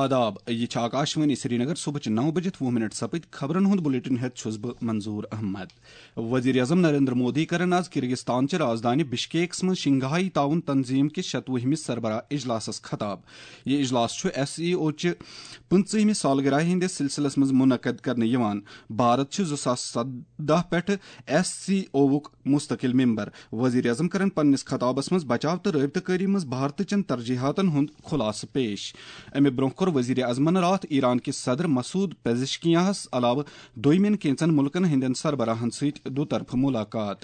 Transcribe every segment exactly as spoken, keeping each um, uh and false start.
آداب، یہِ چھِ آکاشوانی سرینگر۔ صبحٕچہِ نَو بجِتھ وُہ منٹ سپٕدۍ۔ خبرن ہُنٛد بلیٹن ہٮ۪تھ چھُس بہٕ منظور احمد۔ وزیر اعظم نریندر مودی کرن آز کرغستان چہِ رازدانہِ بشکیکس منٛز شنگھائی تعاون تنظیم کِس شتوُہمِس سربراہ اجلاسس خطاب۔ یہِ اجلاس چھُ ایس سی او چہِ پٕنٛژٕہمہِ سالگرہ ہٕنٛدِس سلسلس منٛز منعقد کرنہٕ یِوان۔ بھارت چھُ زٕ ساس سدہ پٮ۪ٹھٕ ایس سی اوُک مستقل ممبر۔ وزیر اعظم کرن پننِس خطابس منٛز بچاو تہٕ رٲبطہٕ کٲری منٛز بھارتٕچن ترجیحاتن ہُنٛد خلاصہٕ پیش۔ امہِ برونٛہہ کوٚر وزیر اعظمن راتھ ایران کِس صدر مسعود پزشکیاہس علاوٕ دوٚیمٮ۪ن کینٛژن مُلکن ہٕنٛدٮ۪ن سربراہن سۭتۍ دُطرفہٕ ملاقات۔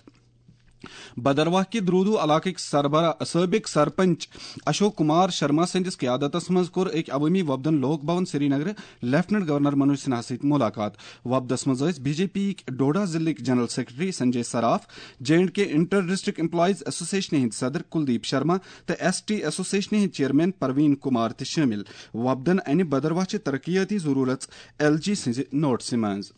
بدرواہ کہِ درودو علاقٕکۍ سربراہ، سٲبق سرپنچ اشوک کمار شرما سٕنٛدِس قیادتس منٛز کوٚر أکۍ عوٲمی وفدن لوک بھون سرینگرٕ لیفٹننٹ گورنر منوج سنہا سۭتۍ ملاقات۔ وفدس منٛز ٲسۍ بی جے پی یِکۍ ڈوڈا ضلعٕکۍ general secretary Sanjay Saraf, J and K inter district employees ایسوسیشنہِ ہٕنٛدۍ صدر کلدیپ شرما تہٕ ایس ٹی ایسوسیشنہِ ہٕنٛدۍ چیئرمین پروین کمار تہِ شٲمِل۔ وفدن انہِ بدرواہ چہِ ترقیاتی ضروٗرژ ایل جی سٕنٛزِ نوٹسہِ منٛز۔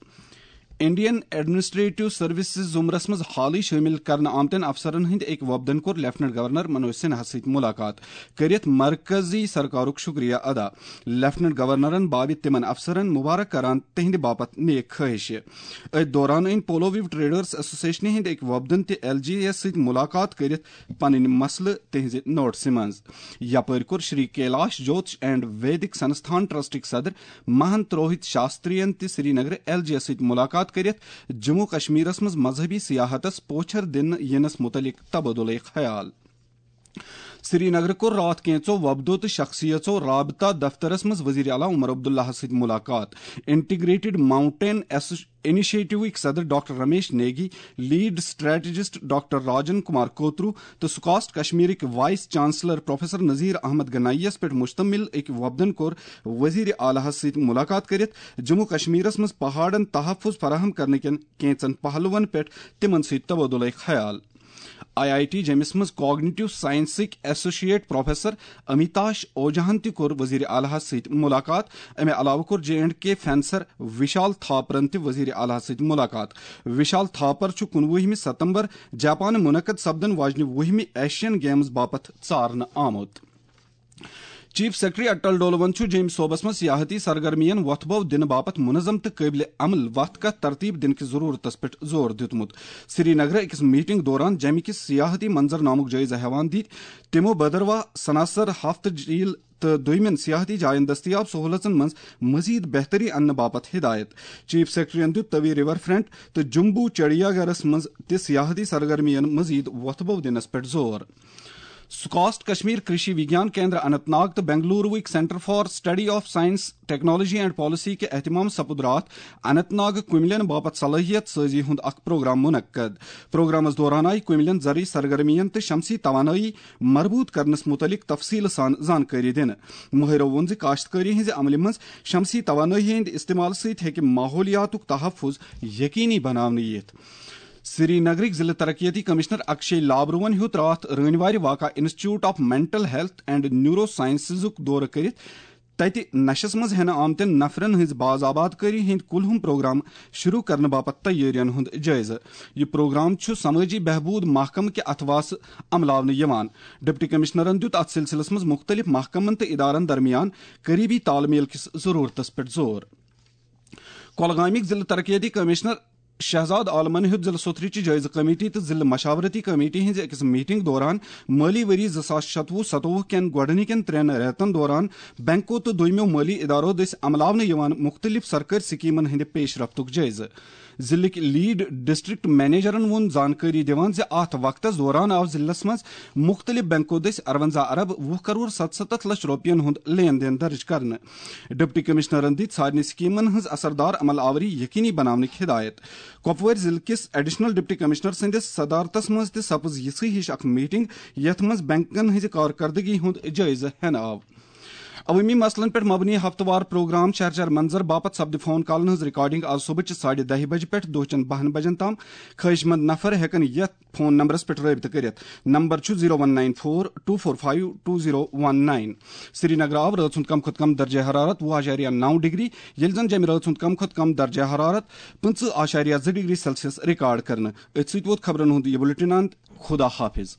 انڈین ایڈمنسٹریٹو سروسز زمرس منٛز حالٕے شٲمِل کرنہٕ آمتٮ۪ن افسرن ہٕنٛدۍ أکۍ وفدن کوٚر لیفٹننٹ گورنر منوج سنہا سۭتۍ ملاقات کٔرِتھ مرکزی سرکارُک شکریہ ادا۔ لیفٹننٹ گورنرن باوِ تِمن افسرن مبارک کران تِہنٛدِ باپتھ نیک خٲہشہِ۔ أتھۍ دوران أنۍ پولو ویو ٹریڈرز ایسوسیشنہِ ہٕنٛدۍ أکۍ وفدن تہِ ایل جی یس سۭتۍ ملاقات کٔرِتھ پنٕنۍ مسلہٕ تِہنٛزِ نوٹسہِ منٛز۔ یپٲرۍ کوٚر شری کیلاش جوتش اینڈ ویدک سنستھان ٹرسٹٕکۍ صدر مہنت روہت شاسترین تہِ سرینگرٕ ایل جی یس سۭتۍ ملاقات کٔرِتھ جموں کشمیرس منٛز مذہبی سیاحتس پوچھر دِنہٕ ینس متعلق تبادلہ خیال۔ سرینگرٕ کوٚر راتھ کینٛژو وفدو تہٕ شخصیژو رابطہ دفترس منٛز وزیر اعلیٰ عمر عبداللہس سۭتۍ ملاقات۔ انٹیگریٹڈ ماؤنٹین ایسو-، انیشیٹوٕکۍ صدر doctor Ramesh Negi, lead strategist doctor Rajan Kumar Kotru تہٕ سکاسٹ کشمیرٕکۍ vice chancellor professor Nazir Ahmad Ganai یس پٮ۪ٹھ مشتمل أکۍ وفدن کوٚر وزیر اعلیٰ ہس سۭتۍ ملاقات کٔرِتھ جموں کشمیرس منٛز پہاڑن تحفظ فراہم کرنہٕ کٮ۪ن کینٛژن پہلوَن پٮ۪ٹھ تِمَن سۭتۍ تبادلہ خیال۔ آئی آئی ٹی جیمِس منٛز کاگنیٹو سائنسٕکۍ ایسوسیٹ پروفیسر امیتاش اوجاہَن تہِ کوٚر وزیر اعلیٰ ہَس سۭتۍ ملاقات۔ اَمہِ علاوٕ کوٚر جے اینڈ کے فینسر وشال تھاپرَن تہِ وزیر اعلیٰ ہَس سۭتۍ ملاقات۔ وشال تھاپر چھُ کُنوُہمہِ ستمبر جاپان منعقد سپدن واجنہِ وُہمہِ ایشین گیمز باپتھ ژارنہٕ آمُت۔ چیف سیکرٹری اٹل ڈولون چھُ جیمۍ صوبس منٛز سیاحتی سرگرمین وۄتھٕ بو دِنہٕ باپتھ منظم تہٕ قٲبلِ عمل وتھ کتھ ترتیب دِنہٕ کِس ضروٗرتس پٮ۪ٹھ زور دیُتمُت۔ سری نگرٕ أکِس میٹنگ دوران جیمہِ کِس سیاحتی منظرنامُک جٲیزٕ ہٮ۪وان دِتۍ تِمو بھدرواہ، سناسر، ہفتہٕ جھیل تہٕ دوٚیمٮ۪ن سیاحتی جاین دٔستیاب سہوٗلژن منٛز مزید بہتری اننہٕ باپتھ ہدایت۔ چیف سیکرٹریَن دیُت توی ریور فرنٹ تہٕ جمبو چڑیا گھرس منٛز تہِ سیاحتی سرگرمین مزید وۄتھٕ بو دِنس پٮ۪ٹھ زور۔ سکاسٹ کشمیر کرشی وگیان کیندر اننت ناگ تہٕ بنگلوروٕکۍ centre for study of science, technology and policy کہِ اہتمام سپُد راتھ اننت ناگ کُملین باپتھ صلٲحیت سٲزی ہُنٛد اکھ پروگرام منعقد۔ پروگرامس دوران آیہِ کُملین زرعی سرگرمین تہٕ شمسی توانٲیی مربوط کرنس متعلق تفصیل سان زانکٲری دِنہٕ۔ مٲہرو ووٚن زِ کاشتکٲری ہٕنٛزِ عملہِ منٛز شمسی توانٲیی ہٕنٛدِ استعمال سۭتۍ ہیٚکہِ ماحولیاتُک تحفظ یقینی بناونہٕ یِتھ۔ سری نگرٕکۍ ضلع ترقیتی کمشنر اکشے لابروَن ہیوٚت راتھ رٲنۍ وارِ واقع institute of mental health and neuro سائنسزُک دورٕ کٔرِتھ تَتہِ نشس منٛز ہٮ۪نہٕ آمتٮ۪ن نفرن ہٕنٛز باز آباد کٲری ہٕنٛدۍ کُلہُم پروگرام شروع کرنہٕ باپتھ تیٲرین ہُنٛد جٲیزٕ۔ یہِ پروگرام چھُ سمٲجی بہبود محکمہٕ کہِ اتھواسہٕ عملاونہٕ یِوان۔ ڈپٹی کمشنرن دیُت اتھ سلسلس منٛز مُختٔلِف محکمن تہٕ ادارن درمیان قریبی تال میل کِس ضرورتس پٮ۪ٹھ زور۔ کۄلگامٕکۍ ضلع ترقیتی کمشنر شہزاد عالمن ہیوٚت ضلع سوتھرٕچہِ جٲیزٕ کمیٹی تہٕ ضلع مشاورتی کمیٹی ہٕنٛزِ أکِس میٹنگ دوران مٲلی ؤری زٕ ساس شتوُہ ستووُہ کٮ۪ن گۄڈٕنِکٮ۪ن ترٛٮ۪ن رٮ۪تن دوران بینکو تہٕ دوٚیمٮ۪و مٲلی ادارو دٔسۍ عملاونہٕ یِوان مُختٔلِف سرکٲرۍ سکیمن ہٕنٛدِ پیش رفتُک جٲیزٕ۔ ضلعٕکۍ لیڈ ڈسٹرکٹ منیجرن ووٚن زانکٲری دِوان زِ اتھ وقتس دوران آو ضلعس منٛز مُختٔلِف بینکو دٔسۍ ارونزہ ارب وُہ کرور ستستھ لچھ رۄپین ہُنٛد لین دین درٕج کرنہٕ۔ ڈپٹی کمشنرن دِتۍ سارنٕے سکیمن ہٕنٛز اثردار عمل آوری یقینی بناونٕکۍ ہدایت۔ کۄپوٲرۍ ضلعہٕ کِس ایڈیشنل ڈپٹی کمشنر سٕنٛدِس صدارتس منٛز تہِ سپٕز یِژھٕے ہِش اکھ میٹنگ، یتھ منٛز بینکن ہٕنٛزِ کارکردگی ہُنٛد جٲیزٕ ہٮ۪نہٕ آو۔ عوٲمی مسلن پٮ۪ٹھ مبنی ہفتہٕ وار پروگرام شہر شہر منظر باپتھ سپدِ فون کالن ہٕنٛز ریکارڈنگ آز صبحٕچہِ ساڑِ دَہہِ بجہِ پٮ۪ٹھ دۄہ چٮ۪ن بَہَن بجن تام۔ خٲہِش مند نفر ہٮ۪کن یتھ فون نمبرس پٮ۪ٹھ رٲبطہٕ کٔرِتھ۔ نمبر چھُ zero one nine four two four five two zero one nine. Srinagar آو رٲژ ہُنٛد کم کھۄتہٕ کم درجہ حرارت وُہ اعشاریہ نَو ڈگری، ییٚلہِ زن جیٚمہِ رٲژ ہُنٛد کم کھۄتہٕ کم درجہ حرارت پٕنٛژٕہ اعشاریہ زٕ ڈگری سیلسیس ریکارڈ کرنہٕ۔ أتھۍ سۭتۍ ووت خبرن ہُنٛد یہِ بلیٹن اند۔ خدا حافظ۔